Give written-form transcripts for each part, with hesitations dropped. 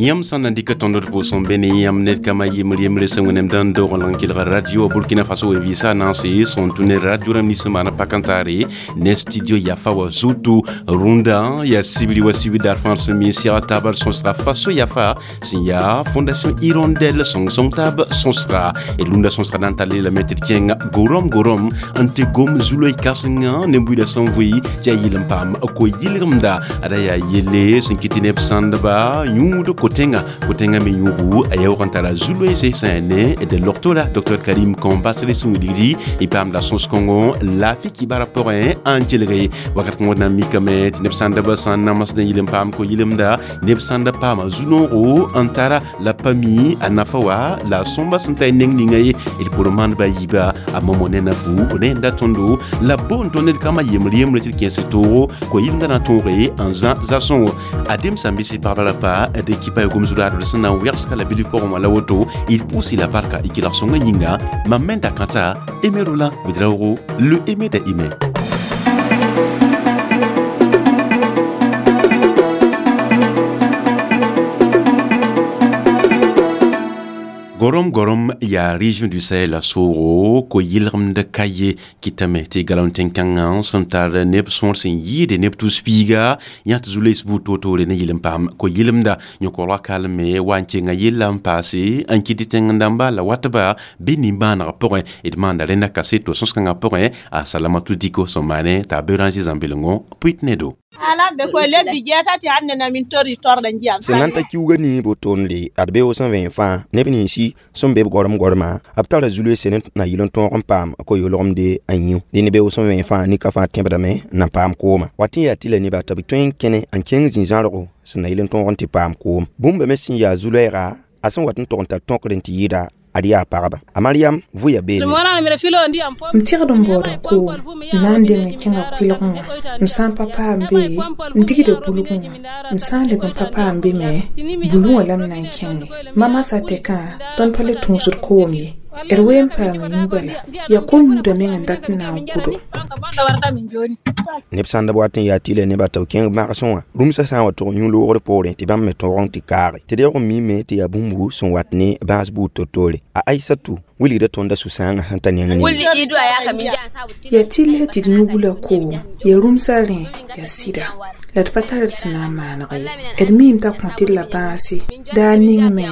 Yãmb sã n na n dɩka tõnd d pʋʋsẽ be ne yãmb ned kama yembre yembre sẽn wẽnnaam dãn doog n lang kelga radio Burkina Faso wẽn-vɩɩsã naanse sẽn tũ ne radio rãmb nins sẽn maan pak n taare ne studio yafa wa zutu rũndã yaa sibri wa sibr daar fãa sẽn mi n sɛg taab d sõsga Faso yafa sẽn yaa Fondation Hirondelle sõng-sõng taab sõsga d rũndã sõsga na n tall lame tɩ d kẽng gorom gorom n tɩ gom zu-loe kãsenga ne buiidã sẽn vʋɩ tɩ yaa yɩl n paam ko-yɩlgemda ada yaa yelle sẽn kɩt tɩ neb sãndba yũud ko-tẽngã ko-tẽngã me yũugu a yaoog n tara zu-loeese sẽn yaa ne d logtora Dr Karim Kambasre sẽn wilgdi y paamda sõs-kõngo laafɩ kibara pʋgẽ n kelge wakat kõngo na n mikame tɩ neb sãndbã sã n namsd n yɩl n paam ko-yɩlemda neb sãnd paama zu-noogo n tara la pa mi a nafa wa la a sõmba sẽn ta y neng ninga ye d pʋr maandba a yiiba a momo ne na fu rẽnda tõndo la boond tõnd ned kambã yembre yembre tɩ d kẽes toogo ko-yɩlemda na tõoge n zã za-sõngo adem sãn bɩs pagba la pa d kipa ya gom zu-raadbr sẽn na n wɛgsga la bilf pʋgẽ wã la woto d pʋʋsɩ la barka y kelg sõngã yĩnga mam me n da kãta Aimé Roland Ouédraogo le Aimé da Aimé. Gorom gorom yaa région du Sahel la soogo ko-yɩlgemd ka ye kɩtame tɩ galaon tẽn-kãngã sẽn tar neb sõor sẽn yɩɩde neb tus-piiga yã tɩ zu-loees buud toor-toore ne yɩl n paam ko-yɩlemda yõkorga kalme wa n kenga yella n paase n kɩt tɩ tẽng dãmba la watba bɩ nimbãaneg pʋgẽ d maanda rẽnda kaseto sõs-kãngã pʋgẽ a Salamatu Diko sẽn maane t'a Béranger Zãmbelengo pʋɩt ne do. Ala be ko lebbi jeetati hannde namin tori torde ndiyam. Sẽn na n ta kiuugã nii botoonde ad beoog sẽn vẽen fãa neb ninsi sẽn be b gorem gorema b tara zu-loeese ne na yɩl n tõog n paam ko-yʋlgemde a yĩu dẽ ne beoog sẽn vẽen fãa nika fãa tẽbdame n na paam kooma wat n yaa tɩ la nebã tɩ b tõe n kẽne n kẽng zĩ-zãrgo sẽn na yɩl n tõog n tɩ paam koom bũmba me sẽn yaa zu-loɛɛga a sẽn wat n tog n tar tõkr n tɩ yɩɩda ad yaa pagba a Mariam vʋya beene. M tɩgd n baooda koom n na n deng n kẽnga kʋɩlgẽ wã m sã n pa paam be m digda bulgẽ wã m sã n leb n pa paam be me bulgẽ wã la m na n kẽnge mamasa tɛkã tõnd pa le tũusd koom ye d wee n paam yũ bala yaa ko-yũudã meng n dat n na n kʋdo. Neb sãndb wat n yaa tɩ la nebã tɩ b kẽng magsẽ wã rũmsã sã n wa tʋg yũ-loogr poorẽ tɩ bãmb me tõog n tɩ kaage tɩ deoog n miime tɩ yaa bũmbu sẽn wat ne bãas buud to-toore a Aisatu wilgda tõnda sũ-sãangã sẽn ta neng ning. Yaa tɩ la tɩ d yũ-bula koom yaa rũmsã rẽ yaa sɩda la d pa tar d sẽn na n maaneg ye d miime t'a kõ tɩ d la bãase daa ningme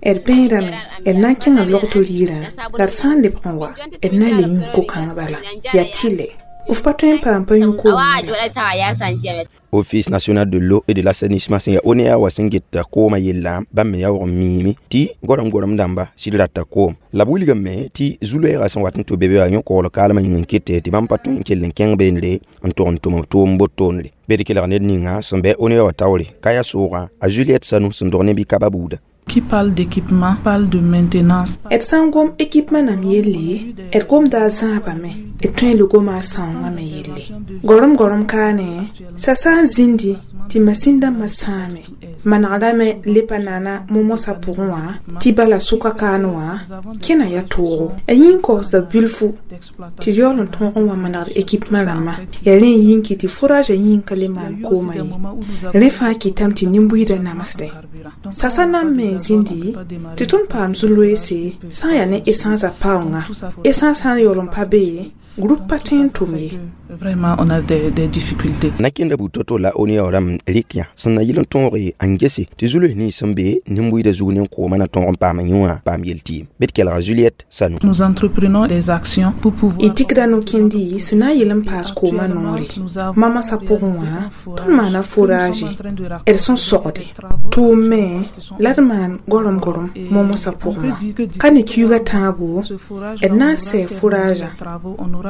d bẽedame d na n kẽnga logto riirã la d sã n lebg n wa d na n le yũ ko-kãng bala yaa tɩlɛ f pa tõe n paam pa yũ koom la. Office national de l'eau et de l'assainissement sẽn yaa ONEA wa sẽn get koomã yella bãmb me yaoog n miime tɩ gorem gorem dãmba sɩd rata koom la b wilgame tɩ zu-loɛɛgã sẽn wat n tʋ be be wã yõ-koogl kaalmã yĩng n kɩte tɩ bãmb pa tõe n kell n kẽng beendre n tog n tʋm b tʋʋm botoonre be d kelg ned ninga sẽn bɩ ONEA wã taoore ka yaa soogã a Juliette Sanu sẽn dog ne bɩ-kaba buuda. Qui parle d'équipement parle de maintenance. D sã n gom équipement nam yelle d gomda a zãabame d tõe n le goma a sãoongã me yelle gorem gorem kaane sa sã n zĩndi tɩ masin dãmbã sãame manegrame le pa naana momosã pʋgẽ wã tɩ bala sʋka kaan wã kẽna yaa toogo a yĩn kaoosda bilfu tɩ d yaool n tõog n wa manegd équipement rãmbã yaa rẽ n yĩn kɩ tɩ forage yĩn ka le maan koomã ye rẽ fãa kɩtame tɩ nin-buiidã namsdẽ sasa nan me n zĩndi tɩ tõnd paam zu-loeese sã n yaa ne essence a paoongã essence sã n yaool n pa be groupe pa tõe n tʋm ye. Vraiment, on a des difficultés. Na kẽnda buud to-to la ONEA rãmb rɩk yã sẽn na yɩl n tõoge n gese tɩ zu-loes nins sẽn be nin-buiidã zug ne koomã na tõog n paam yũ wã paam yel-tɩɩm bɩ d kelga Juliette Sanu. Nous entreprenons des actions pour pouvoir. Y dɩkda no-kẽndi sẽn na n yɩl n paas koomã noore mamasa pʋgẽ wã tõnd maana forage d sẽn sogde tʋʋm me la d maan gorem gorem momosã pʋgẽ wã ka ne kiuugã tãabo d na n sɛ foragã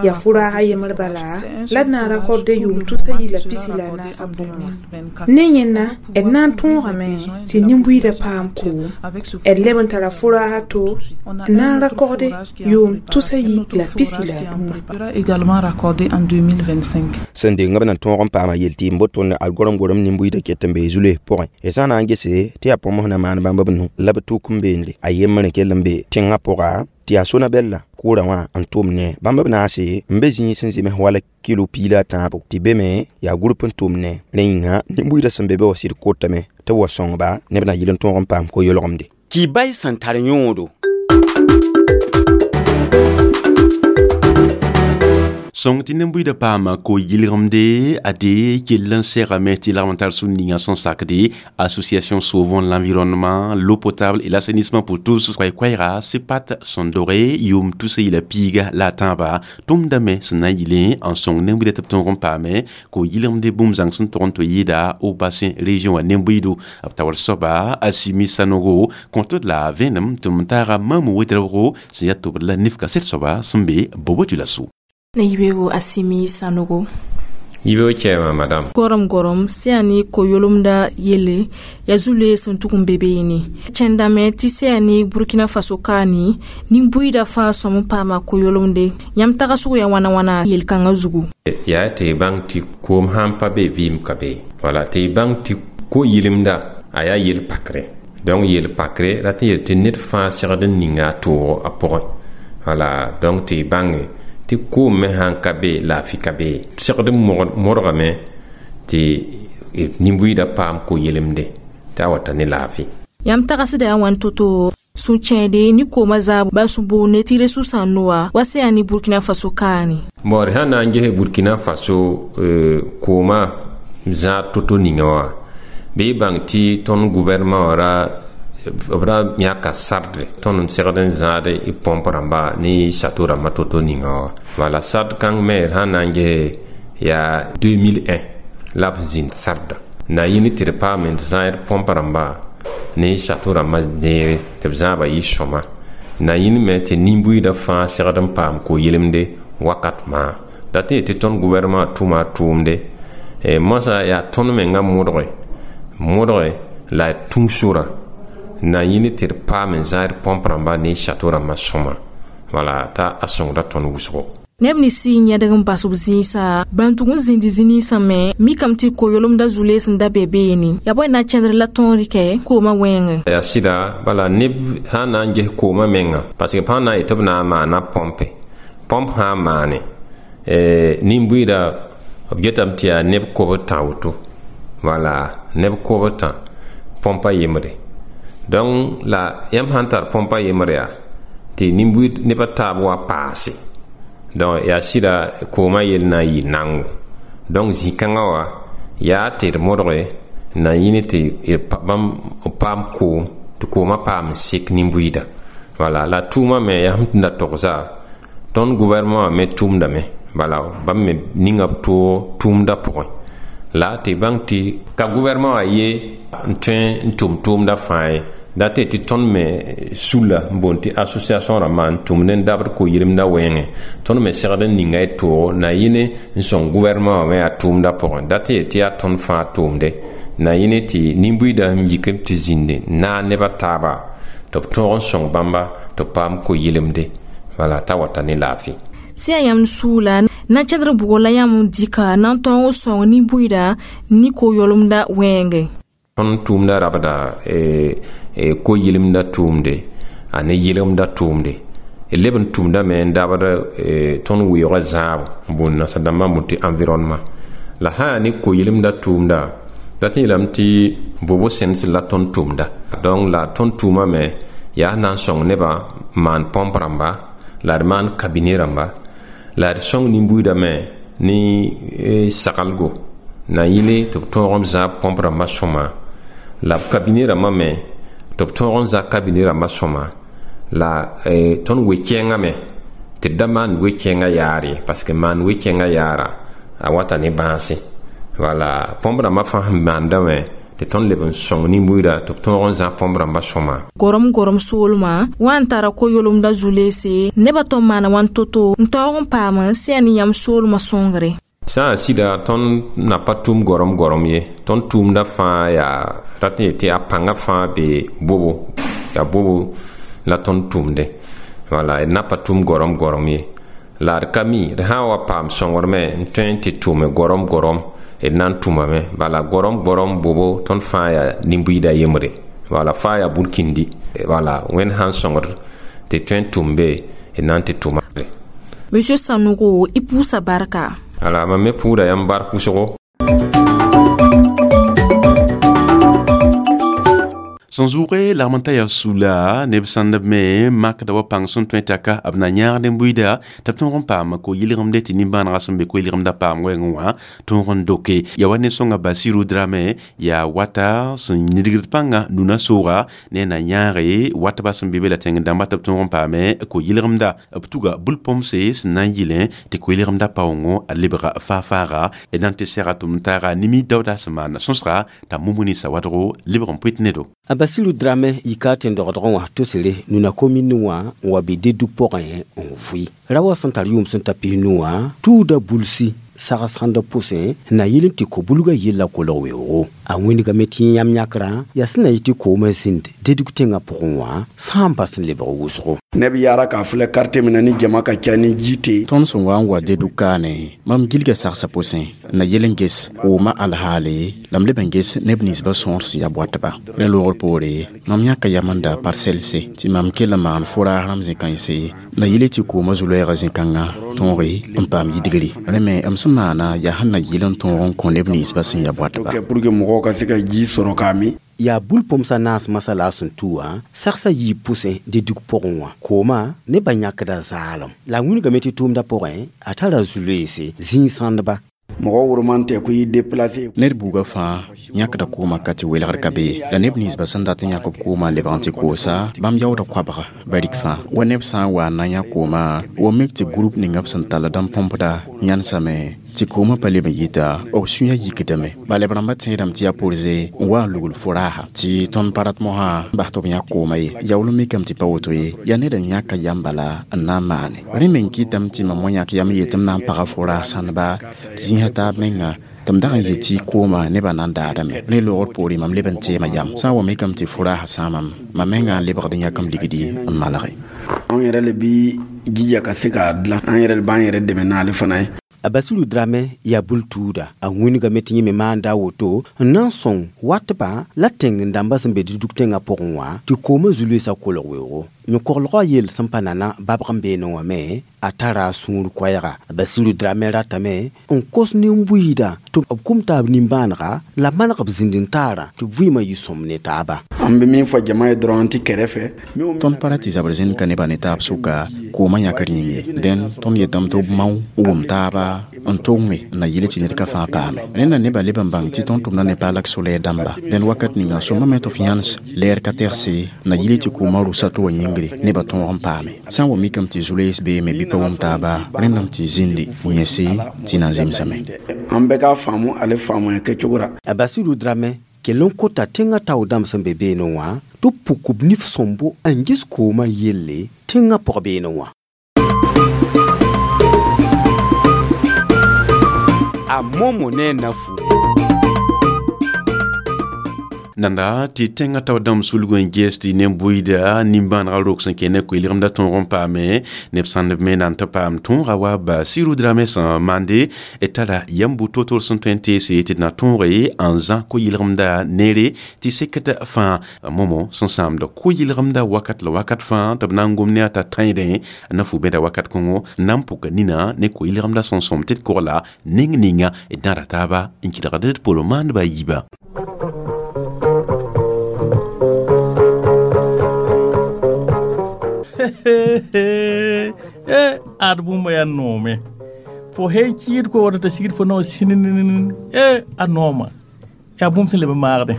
yaa foraag a yembr bala la d na n rakorde yʋʋm tusa yi la pisi la a naasã pʋgẽ wã ne yẽnna d na n tõogame tɩ nin-buiidã paam koom d leb n tara foraag to n na n rakorde yʋʋm tusa yi la pisi la a nuwã. Également raccordé en 2025. Sẽn deng b na tõog n paama yel-tɩɩm botoonde ad gorem gorem nin-buiidã ket n bee zu-loes pʋgẽ y sã n na n gese tɩ yaa põms na maan bãmb b nu la b tuk n beende a yembr n kell n be tẽngã pʋga. Tɩ yaa Sonabɛl la koorã wã n tʋm ne bãmb b naase n be zĩig sẽn zems wala kilo piig la a tãabo tɩ be me yaa group n tʋm ne rẽ yĩnga nin-buiidã sẽn be be wã sɩd kotame tɩ b wa sõngba neb na yɩl n tõog n paam ko-yolgemde. Kibay sẽn tar yõodo. Sõng tɩ nin-buiidã paama ko-yɩlgemde ade kell n segame tɩ lagm n tar sũ-ninga sẽn sakde Association Sauvons l'environnement, l'eau potable et l'assainissement pour tous koɛɛ-koɛɛga sepat sẽn doge yʋʋm tusa yɩla piiga la a tãaba tʋmdame sẽn na n yɩlẽ n sõng nin-buiidã tɩ b tõog n paame ko-yɩlgemde bũmb zãng sẽn tog n tɩ yɩɩda au bassin région wã nin-buiido b taoor soaba Asimi Sanogo kõtd la vẽenem tɩ m taaga Mamu Wedraoogo sẽn yaa tʋbd la nif kaset soaba sẽn be Bobo-Dioulasso. Ne yibego Asimi Sanogo. Yibego chɛma madame. Gorom gorom seyani ko-yolomda yele ya zule sẽn tʋg n be beene. Kẽndame tɩ seyani Burkina Faso kaani nin-buiidã fãa sõm n paama ko-yolomde. Yãmb tagsg ya wãna wãna yel-kãngã zugu. Yaa tɩ y bãng tɩ koom sãn pa be vɩɩm ka be. Wala tɩ y bãng tɩ ko-yɩlemda a yaa yel-pakre. Donc yel-pakre rat n yel tɩ ned fãa segd n ninga a toogo a pʋgẽ. Wala donc tɩ y bãnge tɩ koom me sãn ka be laafɩ ka be. Segd n modgame tɩ nin-buiidã paam ko-yelemde tɩ a wata ne laafɩ. Yãmb tagsda yaa wãn to-to sũ-kẽede ne koomã zaab ba sũ-boonde tɩ resʋsã noa wa sẽn yaa ne Burkina Faso kaane. Bon d sã na n ges Burkina Faso koomã zãad to-to ninga wã bɩ y bãng tɩ tõnd gouvernement wã ra b ra yãka sardre tõnd n segd n zãad y pomp rãmba ne château rãmbã to-to ninga wã. Wala sard kãng me d sã na n ges yaa 2001 la b zĩnd sarda na yĩnd tɩ d paam n zãad pomp rãmba ne château rãmbã neere tɩ b zãaba yɩ sõma na yĩnd me tɩ nin-buiidã fãa segd n paam ko-yelemde wakat maa dat n yet tɩ tõnd gouvernement tʋma a tʋʋmde moasã yaa tõnd mengã modge la tũu-sorã na yĩnd tɩ d paam n zãad pomp rãmba ne château rãmbã sõma wala t'a a sõngda tõnd wʋsgo. Neb nins sɩ yẽdg n bas b zĩisã bãn tʋg n zĩnd zĩ-ninsã me mikame tɩ ko-yolomda zu-lees n da be beene yaa bõe na n kẽndr la tõog rɩkɛ koomã wẽngẽ. Yaa sɩda bala neb sã n na n ges koomã menga parce que pãn na n yet tɩ b na n maana pompe pomp sã n maane nin-buiidã b getame tɩ yaa neb kobd tã woto wala neb kobd tã pompa yembre. Donc la yãmb sãn tar pompa yembre yaa tɩ nin-buiid nebã taab wa paase. Donc yaa sɩda koomã yell na n yɩ nango. Donc zĩ-kãngã wã yaa tɩ d modge na yĩn tɩ bãmb b paam koom tɩ koomã paam n sek nin-buiidã. Wala la tʋʋmã me yaa sẽn tũnda togsa tõnd gouvernement wã me tʋmdame bala bãmb me ninga b toog tʋʋmdã pʋgẽ la tɩ bãng tɩ ka gouvernement wã ye n tõe n tʋm tʋʋmdã fãa ye dat tɩ tɩ tõnd me sulla n boond tɩ association rãmbã n tʋmd n dabd ko-yɩlemdã wẽngẽ tõnd me segd n ninga y toogo na yĩne n sõng gouvernement wã me yaa tʋʋmdã pʋgẽ dat tɩ tɩ yaa tõnd fãa tʋʋmde na yĩne tɩ nin-buiidã sẽn yik tɩ zĩnde naag nebã taaba tɩ b tõog n sõng bãmba tɩ b paam ko-yɩlemde wala t'a wata ne laafɩ. Sẽn yaa yãmb suula na n kẽdr bʋgr la yãmb n dɩka na n tõog n sõng nin-buiidã ne ko-yolomda wẽngẽ. Tõnd tʋʋmda rabda ko-yɩlemda tʋʋmde a ne yɩlemda tʋʋmde leb n tʋmdame n dabd tõnd weoogã zãabo n boond nasa-dãmbã n boond tɩ environnement la sã yaa ne ko-yɩlemda tʋʋmda dat n yeelame tɩ bobo sẽnd la tõnd tʋmda. Donc la tõnd tʋʋma me yaa na n sõng nebã n maan pomp rãmba la d maan cabinet rãmba la d sõng nin-buiidã me ne sagalgo na yɩle tɩ b tõog n zãab pomp rãmbã sõma la cabinet rãmbã me tɩ b tõog n zã cabinet rãmbã sõma la tõnd we-kɛɛngã me tɩ d da maan we-kɛɛngã yaar ye parce que maan we-kɛɛngã yaara a wata ne bãase wala pomp rãmbã fãa sẽn maanda me tɩ tõnd leb n sõng nin-buiidã tɩ b tõog n zã pomp rãmbã sõma. Gorom gorom soolmã wã n tara ko-yolomda zu-leese nebã tõn maana wãn to-to n taoog n paam sẽn yaa ne yãmb soolmã sõngre. Sã n sɩda tõnd na pa tʋm gorom gorom ye tõnd tʋʋmdã fãa yaa rat n yet tɩ a pãngã fãa be bobo yaa bobo la tõnd tʋmde wala d na pa tʋm gorom gorom ye la d ka mi d sã n wa paam sõngr me n tõe n tɩ tʋme gorom gorom d na n tʋmame bala gorom gorom bobo tõnd fãa yaa nin-buiidã yembre wala fãa yaa burkindi wala wẽnd sã n sõngd Tɩ tõe n tʋm be d na n tɩ tʋma. Monsieur Sanogo, i pʋʋsa barka. Ala mam me pʋʋda yãmb bark wʋsgo. Sẽn zʋʋge lagm n ta yaa sula neb sãndb me makda wa pãng sẽn tõe taka b na yãagd n buiida tɩ b tõog n paam ko-yɩlgemde tɩ nimbãanegã sẽn be ko-yɩlgemdã paam wɛɛngẽ wã tõog n doke. Yaa wa ne sõnga Basiru Drame yaa wata sẽn nidgd pãngã nuna sooga ne na yãage watba sẽn be be la tẽng dãmba tɩ b tõog n paame ko-yɩlgemda. B tuga bul-põmse sẽn na n yɩlẽ tɩ ko-yɩlgemdã paoongõ a lebga faa-faaga d na n tɩ sɛga tʋm taaga nimi daooda sẽn maan sõsga t'a mumuni sawadgo lebg n pʋɩt nedo. A Basiru Drame yika tẽn-dogdgẽ wã tosre nuna komin wã n wa be Dedug pʋgẽ n vʋɩ. Ra wa sẽn tar yʋʋm sẽn ta 90 wã tuuda bulsi sags-sãndb pʋsẽ na yɩl n tɩ ko-bulgã yella kolg weoogo. A wĩndgame tɩ yãmb yãkrã yaa sẽn na yɩ tɩ koomã zĩnd Dedug tẽngã pʋgẽ wã sã n bas n lebg wʋsgo. Ne bɛ yaara k'a filɛ quartier min na ni jama ka ca ni ji tɛ. Tõnd sẽn wa n wa Dedug kaane, mam gilga sagsa pʋsẽ n na yel n ges koomã alhaale la m leb n ges neb ninsbã sõor sẽn yaa boatba. Rẽ loogr poore, mam yãka yam n da parselse tɩ mam kell n maan foraas rãmb zẽ-kãense na yɩle tɩ koomã zu-loɛɛgã zẽ-kãngã tõoge n paam yidgri. Rẽ me m sẽn maana yaa sẽn na yɩl n tõog n kõ neb ninsbã sẽn yaa boatba. Pour que mɔgɔw ka se ka ji sɔrɔ k'a min. Yaa bul-põmsã naas masã la a sẽn tu wã sagsã yiib pʋsẽ Dedug pʋgẽ wã. Koomã nebã yãkda zaalem. La a wĩnigame tɩ tʋʋmdã pʋgẽ a tara zu-loeese zĩig-sãndba. Mɔgɔ woroman tɛ ko i déplacé. Ned buugã fãa yãkda koomã ka tɩ welgr ka be ye. La neb ninsbã sẽn dat n yãk b koomã n lebg n tɩ koosa, bãmb yaooda koabga barik fãa. Wa neb sã n wa n na n yã koomã, wa mik tɩ group ninga b sẽn tall n põmpda yãnsame tɩ koomã pa leb n yita, b sũyã yikdame. Bala b rãmbã tẽedame tɩ yaa porze n wa n lugl foraasa tɩ tõnd pa rat mosã n bas tɩ b yãk koomã ye. Yaool n mikame tɩ pa woto ye, yaa ned n yãka yam bala n na n maane. Rẽ me n kɩtame tɩ mam wa yãk yam n yetɩ m na n paga foraas sãndba zĩisã taab menga tɩ m dag n yetɩ koomã nebã na n daadame. Rẽ loogr poore mam leb n teema yam. Sã n wa mikame tɩ foraasã sãamam, mam menga n lebgd n yãk m ligdi n malge. Anw yɛrɛ le bi jija ka se k'a dilan, an yɛrɛ le b'an yɛrɛ dɛmɛ n'ale fana ye. A Basiru Drame yaa bul-tuuda. A wĩnigame tɩ yẽ me maanda a woto n na n sõng watbã la tẽng dãmbã sẽn be Dedug tẽngã pʋgẽ wã tɩ koomã zu-loeesã kolg weoogo. Yõ-koglgã yell sẽn pa nana babg n beene wã me a tara a sũur koɛɛga. A Basiru Drame ratame n kos nin-buiidã tɩ b kum taab nimbãanega la maneg b zĩnd-n-taarã tɩ vɩɩmã yɩ sõm ne taaba. An bɛ min fɔ jama ye dɔrɔn an tɛ kɛrɛfɛ. Tõnd pa ra tɩ zabr zĩnd ka nebã ne taab sʋka koomã yãkr yĩng ye. Dẽn tõnd yetame tɩ b mao n wʋm taaba n tʋgme n na yɩle tɩ ned ka fãa paame. Rẽnda nebã leb n bãng tɩ tõnd tʋmda ne paalak so-lɛɛr dãmba. Dẽn wakat ninga sõmame tɩ f yãns lɛɛr ka tɛgse na yɩle tɩ koomã rʋsa tɩ wa yĩngre nebã tõog n paame. Sã n wa mikame tɩ zu-loees beeme bɩ pa wʋm taaba, rẽndame tɩ zĩndi n yẽse tɩ na n zemsame. An bɛɛ k'a faamu ale faamuya kɛcogo ra. A Basiru Drame kell n kota tẽngã tao dãmb sẽn be beene wã tɩ b puk b nif sõmbo n ges koomã yelle tẽngã pʋg beene wã. A Momo ne Nafu. Nanda tɩ tẽngã tao dãmb sulg n ges tɩ nen-buiida nimbãanegã rok sẽn kẽ ne koe-yɩlgemdã tõog n paame neb sãndb me na n tɩ paam tõoga wa Basiru Drame sẽn maande d tara yam bu to-tor sẽn tõe n teese tɩ d na tõoge n zã ko-yɩlgemdã neere tɩ sekd fãa. Momo sẽn sãamd ko-yɩlgemdã wakat la wakat fãa tɩ b na n gom ne a t'a tãedẽ na fu bẽda wakat kõngo na n pʋka nina ne ko-yɩlgemdã sẽn sõm tɩ d kogla neng ninga d na ra taaba n kɩlgd d pʋgr maandbã yiibã. Ad bũmb yaa noome. Fo sẽn kɩɩd ko wata t'a sigd fo nao sĩnn a nooma. Yaa bũmb sẽn leb n maagdẽ.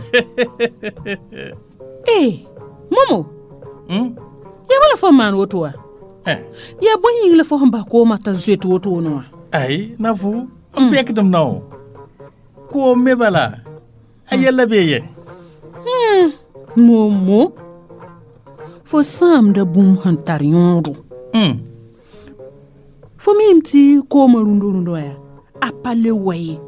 E Momo, yaa bala fo n maan woto wa? Yaa bõe yĩng la fo sẽn bas koomã t'a zoet wotone wã? Ai, na fu n bɛkdem nao. Koom me bala a yɛlla bee ye. Momo, fo sãamda bũmb sẽn tar yõodo. Fo miime tɩ koomã rũndo-rũndã wã yaa a pa le wa ye.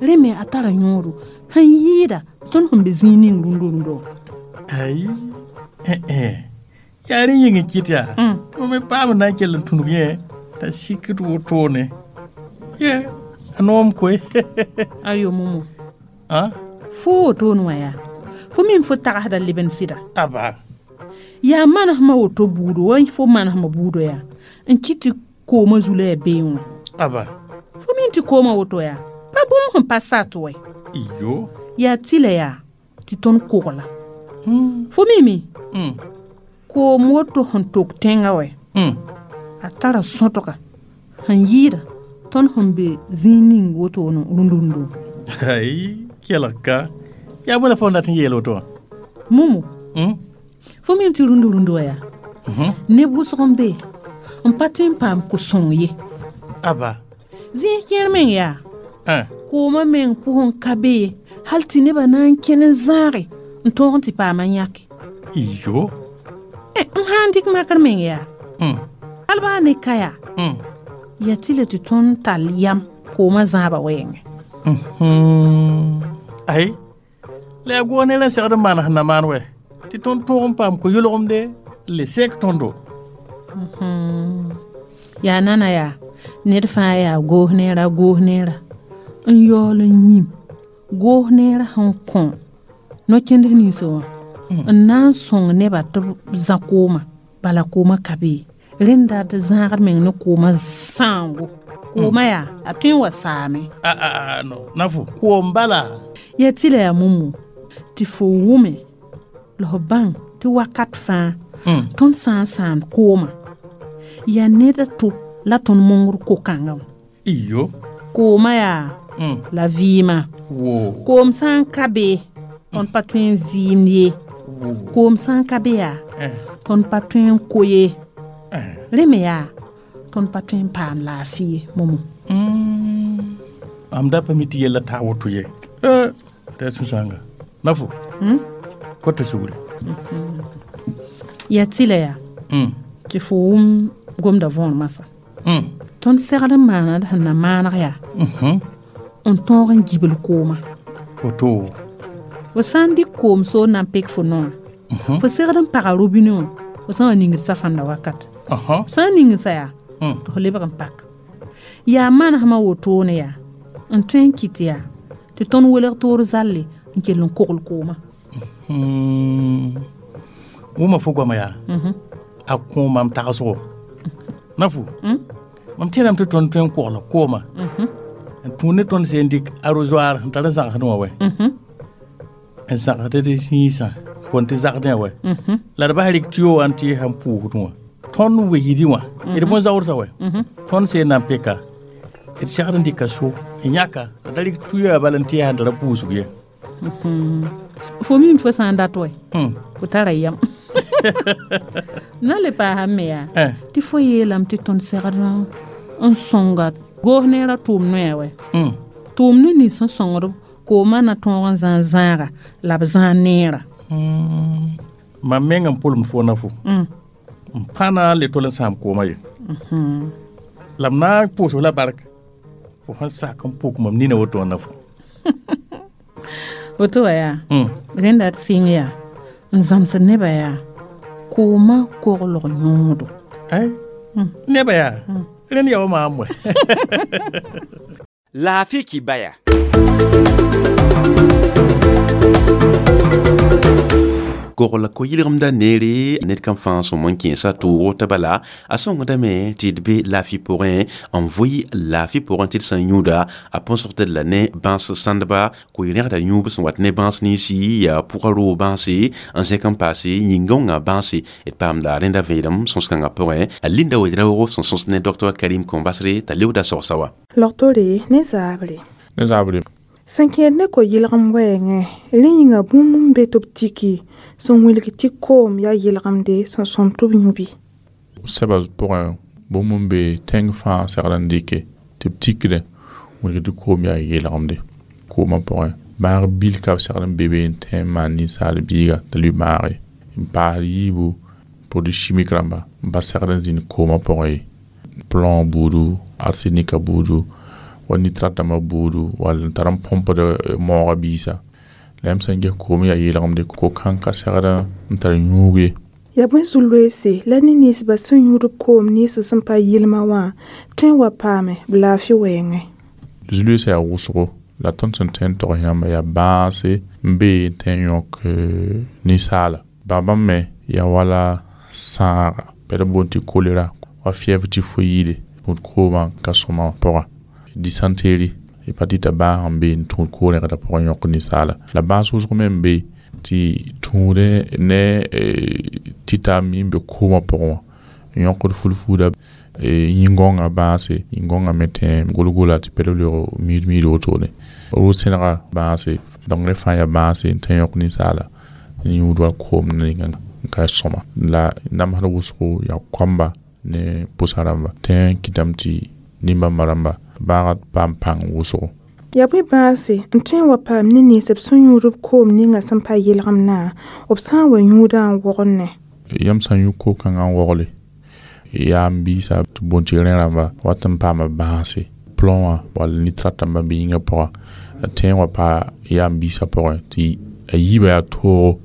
Rẽ me a tara yõodo sẽn yɩɩda tõnd sẽn be zĩig ning rũndo-rũndã wã. Ai, yaa rẽ yĩng n kɩt yaa tɩ mam me paam n na n kell n tũnug yẽ t'a sikd wotone. Ye, a noom koe. Ayo Momo. Fo wotone wã yaa fo miime fo tagsda leb n sɩda. Aba. Yaa manesmã woto buudo wa fo manesmã buudo yaa n kɩt tɩ koomã zu la yaa beẽ wã. Aba. Fo min tɩ koomã woto yaa pa bũmb sẽn pa sat wɛ. Iyo. Yaa tɩlɛ yaa tɩ tõnd kogla. Fo mime? Koom woto sẽn tok tẽngã wɛ. A tara sõtga sẽn yɩɩda tõnd sẽn be zĩig ning wotone rũnd-rũndo. Ai, kelg ka. Yaa bõe la fo n dat n yeel woto wã? Momo. Fo mim tɩ rũnd-rũnd wã yaa neb wʋsg n be n pa tõe n paam ko-sõng ye. Aba. Zĩig kẽer meng yaa koomã meng pʋgẽ ka be ye hal tɩ nebã na n kẽn n zãage n tõog n tɩ paam n yãke. Iyo. M sã n dɩk makr meng yaa hal baa ne ka yaa yaa tɩ la tɩ tõnd tall yam koomã zãabã wɛɛngẽ. Ai, la yaa goog neer n segd n maan sẽn na maan wɛ tɩ tõnd tõog n paam ko-yʋlgemde le sek tõndo. Yaa nana yaa ned fãa yaa goos neera goos neera n yaool n yĩm goos neerã sẽn kõ no-kẽnd ninsã wã n na n sõng nebã tɩ b zã koomã bala koomã ka be rẽnda d zãagd meng ne koomã sãango koomã yaa a tõe n wa saame. No na fo koom bala. Yaa tɩ la yaa momo tɩ fo wʋme la f bãng tɩ wakat fãa tõnd sã n sãamd koomã yaa ned a to la tõnd mongd ko-kãngã wã. Iyo. Koomã yaa la vɩɩmã. Koom sã n ka be tõnd pa tõe n vɩɩmd ye. Koom sã n ka be yaa tõnd pa tõe n ko ye. Rẽ me yaa tõnd pa tõe n paam laafɩ ye momo. Mam da pa mi tɩ yella taa woto ye. Da sũ-sãanga. Na fo. Kota sugri. Yaa tɩ la yaa tɩ fo wʋm gomda võor masã. Tõnd segd n maana d sẽn na maaneg yaa n tõog n gibl koomã. Woto. Fo sã n dɩk koom soor na n pek fo noorã fo segd n paga robine wã fo sã n wa ningd safãnda wakat. Fo sã n ning sa yaa tɩ fo lebg n pak. Yaa manesmã wotone yaa n tõe n kɩt yaa tɩ tõnd welg toor zalle n kell n kogl koomã. Wʋma fo goama yaa a kõ mam tagsgo. Na fo mam tẽedame tɩ tõnd tõe n kogla koomã n tũud ne tõnd seen dɩk arrosoir n tar n zãgsdẽ wã wɛ n zãgsd d zĩisã kõn tɩ zagdẽ wɛ la d bas rɩk tɩyo wã n tɩ sãn pʋʋsdẽ wã tõnd weydi wã d bõn-zaoodsa wɛ tõnd seen na n peka d segd n dɩka so n yãka la da rɩk tuya bala n tɩ sãn tara pʋʋsg ye. Fo mim fo sã n dat wɛ fo tara yam. Na le paasame me yaa tɩ fo yeelame tɩ tõnd segd n sõnga goos neerã tʋʋm noya wɛ tʋʋm ne nins sẽn sõngd koomã na tõog n zãag zãaga la b zãag neerã. Mam meng n pʋlem fo na fo n pa na n le tol n sãam koomã ye la m na n pʋʋs la bark fo sẽn sak n pʋk mam nina woto wã na fo. Woto wã yaa rẽnda d sɩng yaa n zãmsd nebã yaa koomã koglg yõodo. Nebã yaa rẽnd yaa wa maam wɛ. Laafɩ kibaya. Kogla ko-yɩlgemda neere ned kam fãa sõm n kẽesa toogo t'a bala a sõngdame tɩ d be laafɩ pʋgẽ n vʋɩ laafɩ pʋgẽ tɩ d sã n yũuda a põsg tɩ d la ne bãas sãndba koe-rẽgda yũub sẽn wat ne bãas ninsi yaa pʋga roog bãase n zẽk n paase yĩngõngã bãase d paamda rẽnda vẽedem sõs-kãngã pʋgẽ a Linda Wedraoogo sẽn sõs ne Dr Karim Kõmbasre t'a leooda sogsa wã. Logtore ne zaabre. Ne zaabre. Sẽn kẽed ne ko-yɩlgem wɛɛngẽ rẽ yĩnga bũmb n be tɩ b tiki sẽn wilg tɩ koom yaa yɩlgemde sẽn sõm tɩ b yũ bɩ. Sɛba pʋgẽ bũmb n be tẽng fãa segd n dɩke tɩ b tikdẽ wilg tɩ koom yaa yɩlgemde koomã pʋgẽ maag bil ka b segd n be be n tẽ n maan ninsaal biiga t'a lʋɩ maage n paasd yiibu produit chimique rãmba n pa segd n zĩnd koomã pʋgẽ ye plomb buudu arsenika buudu wa nitrate dãmbã buudu wall n tar n põmpd maoogã biisa la yãmb sã n ges koom yaa yeelgemde ko-kãng ka segd n tar yũug ye. Yaa bõe zu-loeese la ne ninsbã sẽn yũud b koom nins sẽn pa yɩlmã wã tõe n wa paame b laafɩ wɛɛngẽ. Zu-loeesã yaa wʋsgo la tõnd sẽn tõe n tog yãmba yaa bãase n be n tõe n yõk ninsaala bãmb me Yaa wala sãaga bɩ d boond tɩ kolera wa fièvre typhoïde tũud koomã ka sõma pʋga dysenterie hepatite bãas n be n tũud ko-rẽgdã pʋgẽ yõk ninsaala la bãas wʋsg me n be tɩ tũudẽ ne tɩta mi n be koomã pʋgẽ wã n yõkd fulfuuda yĩn-gõngã bãase yĩn-gõngã me tẽ gol-gola tɩ pɛd leoog miid-miid wotone ro-sẽnega bãase donc rẽ fãa yaa bãase n tõe n yõk ninsaala n yũud wa koom ninga n ka sõma la namsd wʋsgo yaa koamba ne pʋsa rãmba tẽ n kɩtame tɩ nin-bãmba rãmba bãagd paam pãng wʋsgo. Yaa bõe bãase n tõe n wa paam ne nins b sẽn yũud b koom ninga sẽn pa yelgemdã b sã n wa yũudã n wogl ne? Yãmb sã n yũ ko-kãngã n wogle yaa n biisa tɩ boond tɩ rẽ rãmba wat n paama bãase plomb wã wall nitrate rãmba n be yĩngã pʋga tẽ n wa paa yaa n biisã pʋgẽ tɩ a yiibã yaa toogo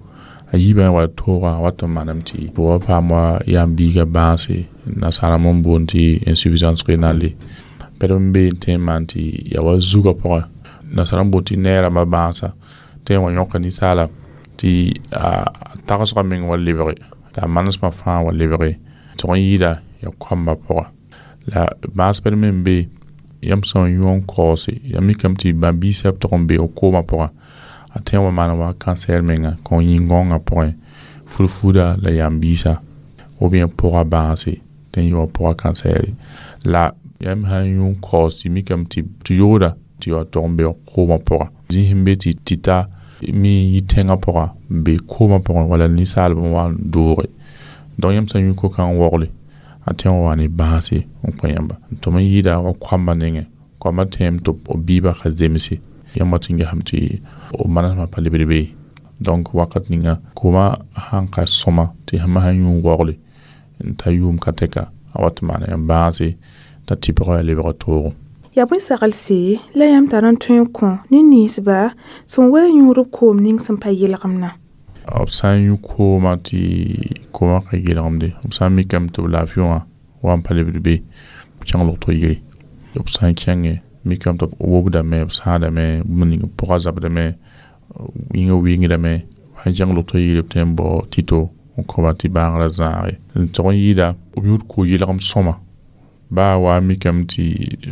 a yiibã wa toogã wat n maneme tɩ b wa paam wa yaa n biigã bãase nasaarã n boond tɩ insuffisance rénale pɛd n be n tõe n maan tɩ yaa wa zugã pʋgẽ nasaarã n boond tɩ neer rãmbã bãasa tẽ n wa yõka ninsaala tɩ a tagsgã meng wa lebge t'a manesmã fãa wa lebge tɩg n yɩɩda yaa koambã pʋga la bãas pɛd me n be yãmb sã n yũ n kaoose ya mikame tɩ bã-biisã b tʋg n be b koomã pʋgã a tõe n wa maan wa cancer menga kõ yĩn-gõngã pʋgẽ fulfuuda la yam-biisa ou bien pʋga bãase tɩ n yɩ wa pʋga cancer la yãmb sã n yũ n kaoos tɩ mikame tɩ yooda tɩ wa tʋg n be koomã pʋga zĩis n be tɩ tɩta mi n yi tẽngã pʋga n be koomã pʋgẽ wala ninsaalb n wa n dooge donc yãmb sã n yũ ko-kãng wogle a tõe n wa ne bãase n kõ yãmba tɩ m yɩɩda wa koambã nengẽ koambã tẽem tɩ b biibã ka zemse yãmb wat n gesame tɩ b manesmã pa lebd be donc wakat ninga koomã sãn ka sõma tɩ yãmb sã n yũ n waogle n ta yʋʋm ka tɛka a wat n maana yãmb bãase t'a tɩbgã yaa lebg toogo. Yaa bõe saglse la yãmb tar n tõe n kõ ne ninsba sẽn wa yũud b koom ning sẽn pa yelgemdã? B sã n yũ koomã tɩ koomã ka yelgemde b sã n mikame tɩ b laafɩ wã wa n pa lebd be b kẽng logtg yire b sã n kẽnge mikame tɩ b wobdame b sãadame bũmb ning b pʋga zabdame yĩngã wɩngdame sãn kẽng logtg yire b tõe n bao tɩto n kõba tɩ bãagrã zãage n tog n yɩɩda b yũud ko-yelgem sõma baa wa mikame tɩ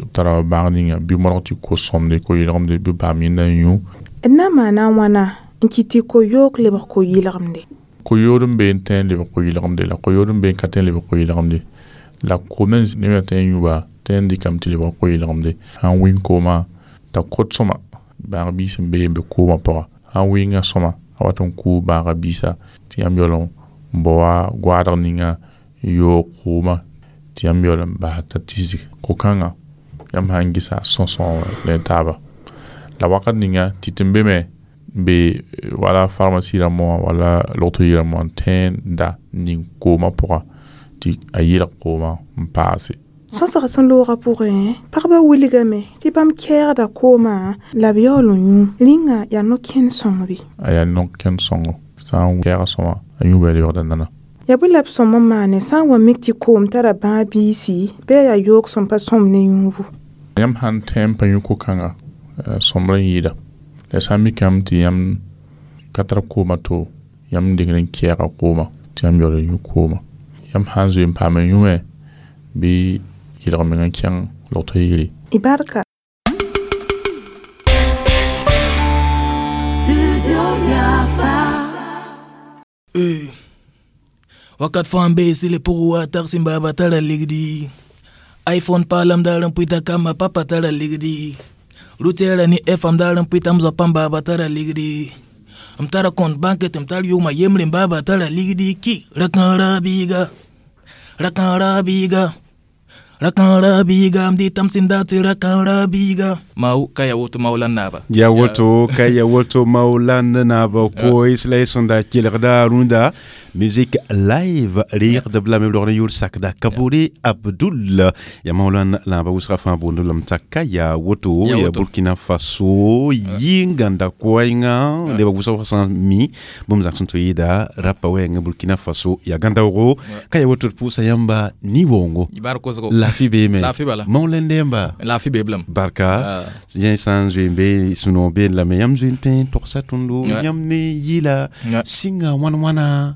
b tara bãag ninga bɩ modg tɩ ko-sõmde ko-yelgemde bɩ baam yẽnda n yũ. D na n maana wãna n kɩt tɩ ko-yoog lebg ko-yelgemde? Ko-yood n be n tõe n lebg ko-yelgemde la ko-yood n be n ka tõe n lebg ko-yelgemde la koom neb tõe n yũba tõe n dɩkame tɩ lebg ko-yelgemde sãn wĩng koomã t'a kot sõma bãag biis n be n be koomã pʋga sãn wɩnga sõma a wat n kʋʋ bãaga biisa tɩ yãmb yaool n bao wa goaadg ninga n yoog koomã tɩ yãmb yaool n bas t'a tisg ko-kãngã yãmb sã n gesa sõsõ la taaba la wakat ninga tɩ tɩ n be me n be wala pharmacie rãmbã wã wala logtg yirãmbã wã n tõe n da ning koomã pʋga tɩ a yelg koomã n paase. Sõsg sẽn loogã pʋgẽ pagba wilgame tɩ bãmb kɛɛgda koomã la b yaool n yũ rĩnga yaa no-kẽnd sõng bɩ? A yaa no-kẽnd sõngo sã n kɛɛga sõma a yũuba lebgda nana. Yaa bõe la b sõm n maane sã n wa mik tɩ koom tara bãag biisi bɩ a yaa yoog sẽn pa sõm ne yũubu? Yãmb sãn tõe n pa yũ ko-kãnga sõmb n yɩɩda la sã n mikame tɩ yãmb ka tar koomã to yãmb dɩgd n kɛɛga koomã tɩ yãmb yaool n yũ koomã yãmb sã n zoe n paam n yũ me bɩ yelg meng n kẽng logtg yire. Y barka. Wakat fãa n bee sɩle pʋgẽ wa tag sẽn baaba tara ligdi iPhone paalam daar n pʋɩta kamba papa tara ligdi rutɛɛra ne FM daar n pʋɩta m zoa pãmb baaba tara ligdi m tara compte banque tɩ m tar yʋʋmã yembre n baaba tara ligdi ki rakãara biiga rakãara biiga rakãara biiga m dɩtam sẽn dat tɩ rakãara biiga mau ka ya woto maulan naaba ya woto ka ya woto maulan naaba ko isla sẽn da kelgda rũndã musique live rɩɩgdb la me b log ne yʋʋr sakda Kabore Abdul ya maulan naaba wʋsga fãa boond lame t'a ka yaa woto ya Burkina Faso yɩ-gãnda koɛɛngã nebã wʋsg sã n mi bũmb zãgs sẽn tɩ yɩɩda rapa wɛɛngã Burkina Faso yaa gãndaoogo ka ya woto d pʋʋsa yãmba ni-woongo laafɩ beeme maulan yãmba laafɩ be blam barka yẽ sã n zoe n be sũ-noog been lame yãmb zoe n tõe n togsa tõndo yãmb ne yɩla sɩnga wãn wãna.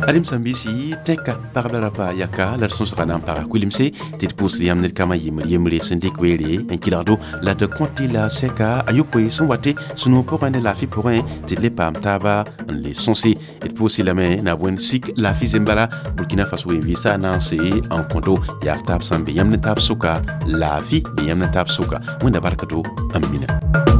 Ad-m sãn-biisi, tẽka pagb la rapa yaka la d sõsga na n paga kuilemse tɩ d pʋʋsd yãmb ned kambã yembr yembre sẽn dɩk weere n kɩlgdo la d kõt la sɛka a yopoe sẽn wate sũ-noog pʋgẽ ne laafɩ pʋgẽ tɩ d le paam taaba n le sõse. D pʋʋsɩ lame na bõe sik laafɩ zembala Burkina Faso wen-vɩɩsa na n se n kõto yaaf taab sãn be yãmb ne taab sʋka laafɩ be yãmb ne taab sʋka. Wẽnda bark to n mina.